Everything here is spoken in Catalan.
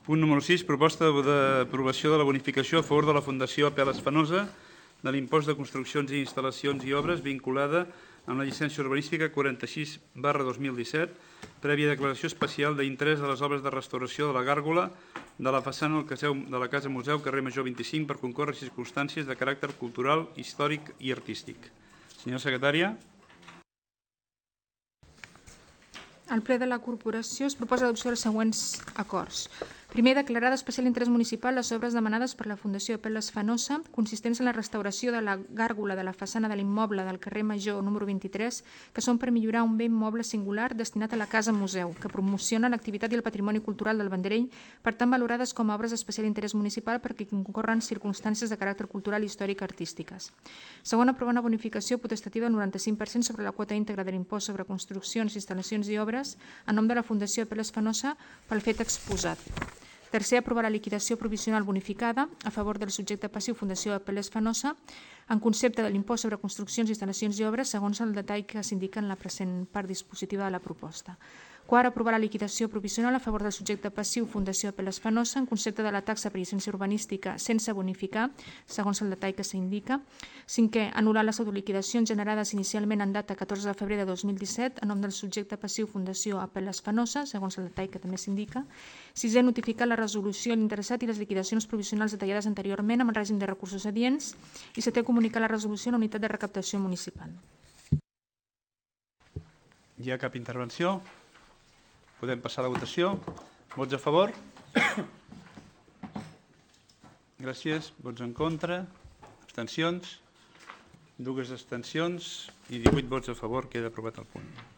Punt número 6, proposta d'aprovació de la bonificació a favor de la Fundació Apel·les Fenosa de l'impost de construccions i instal·lacions i obres vinculada amb la llicència urbanística 46/2017, prèvia declaració especial d'interès de les obres de restauració de la gàrgola de la façana de la Casa Museu, carrer Major 25, per concórrer circumstàncies de caràcter cultural, històric i artístic. Senyora secretària. Al ple de la corporació es proposa l'adopció dels següents acords. Primer, declarar d'especial interès municipal les obres demanades per la Fundació Apel·les Fenosa, consistents en la restauració de la gàrgola de la façana de l'immoble del carrer Major número 23, que són per millorar un bé immoble singular destinat a la Casa Museu, que promociona l'activitat i el patrimoni cultural del Vendrell, per tant valorades com a obres d'especial interès municipal perquè concorren circumstàncies de caràcter cultural, històric i artístiques. Segon, aprovar una bonificació potestativa del 95% sobre la quota íntegra de l'impost sobre construccions, instal·lacions i obres en nom de la Fundació Apel·les Fenosa pel fet exposat. Tercer, aprovar la liquidació provisional bonificada a favor del subjecte passiu Fundació Apel·les Fenosa en concepte de l'impost sobre construccions, instal·lacions i obres segons el detall que s'indica en la present part dispositiva de la proposta. Quart, aprovar la liquidació provisional a favor del subjecte passiu Fundació Apel·les Fenosa en concepte de la taxa per llicència urbanística sense bonificar, segons el detall que s'indica. Cinquè, anul·lar les autoliquidacions generades inicialment en data 14 de febrer de 2017 en nom del subjecte passiu Fundació Apel·les Fenosa, segons el detall que també s'indica. Sisè, notificar la resolució a l'interessat i les liquidacions provisionals detallades anteriorment amb el règim de recursos adients. I setè, comunicar la resolució a la unitat de recaptació municipal. Hi ha cap intervenció? Podem passar a la votació. Vots a favor? Gràcies. Vots en contra? Abstencions? 2 abstencions i 18 vots a favor. Queda aprovat el punt.